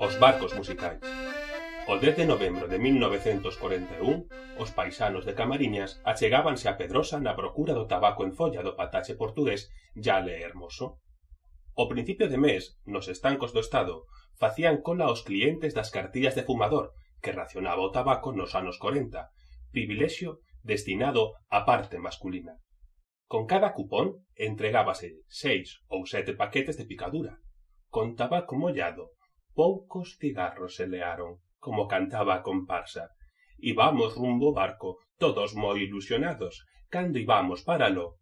Os barcos musicais. O 10 de novembro de 1941, os paisanos de Camariñas achegábanse a Pedrosa na procura do tabaco en folla do patache portugués Yale Hermoso. O principio de mes, nos estancos do Estado, facían cola os clientes das cartillas de fumador, que racionaba o tabaco nos anos 40, privilexio destinado á parte masculina. Con cada cupón entregábase 6 ou 7 paquetes de picadura. Con tabaco mollado, poucos cigarros se learon, como cantaba a comparsa. Ibamos rumbo ao barco, todos moi ilusionados. Cando ibamos paralo,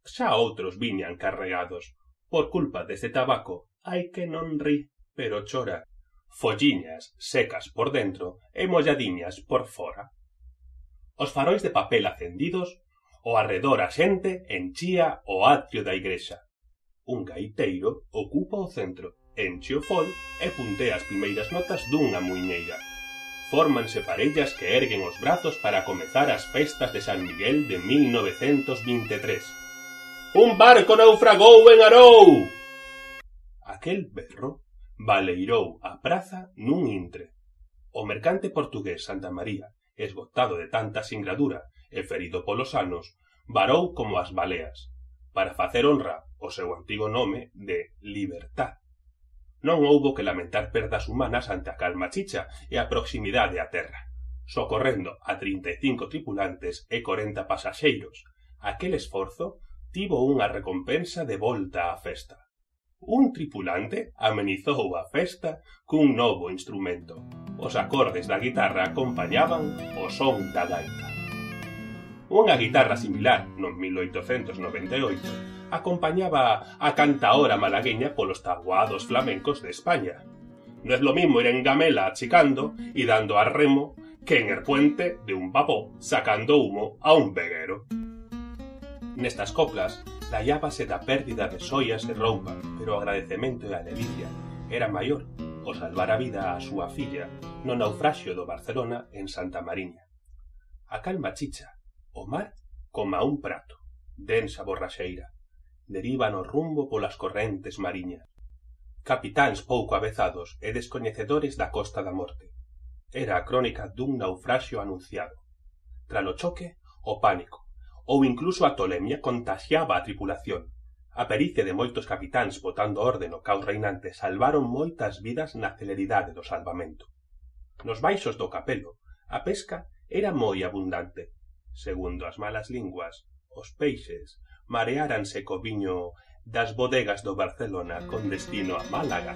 xa outros viñan carregados. Por culpa deste tabaco, hai que non ri, pero chora. Folliñas secas por dentro e molladiñas por fora. Os farois de papel acendidos, o arredor a xente enchía o atrio da igrexa. Un gaiteiro ocupa o centro, enche o fol e puntea as primeiras notas dunha muiñeira. Fórmanse parellas que erguen os brazos para comezar as festas de San Miguel de 1923. ¡Un barco naufragou en Arou! Aquel berro baleirou a praza nun intre. O mercante portugués Santa María, esgotado de tanta singradura e ferido polos anos, varou como as baleas, para facer honra ao seu antigo nome de Libertad. Non houbo que lamentar perdas humanas ante a calma chicha e a proximidade á terra, socorrendo a 35 tripulantes e 40 pasaxeiros. Aquel esforzo tivo unha recompensa de volta á festa. Un tripulante amenizou a festa cun novo instrumento. Os acordes da guitarra acompañaban o son da gaita. Unha guitarra similar, no 1898, acompañaba a cantaora malagueña polos tabuados flamencos de España. No es lo mismo ir en gamela achicando y dando a remo que en el puente de un vapor sacando humo a un veguero. Nestas coplas, lallábase da pérdida de xoias e roupa, pero o agradecemento e a ledicia era maior o salvar a vida á súa filla no naufraxio do Barcelona en Santa Mariña. A calma chicha, o mar coma un prato, densa borraxeira, derivan o rumbo polas correntes mariñas. Capitáns pouco avezados e descoñecedores da Costa da Morte. Era a crónica dun naufraxio anunciado. Tralo choque, o pánico, ou incluso a tolemia contaxiaba a tripulación. A pericia de moitos capitáns botando orde no caos reinante salvaron moitas vidas na celeridade do salvamento. Nos baixos do Capelo, a pesca era moi abundante. Segundo as malas linguas, os peixes mareáranse co viño das bodegas do Barcelona con destino a Málaga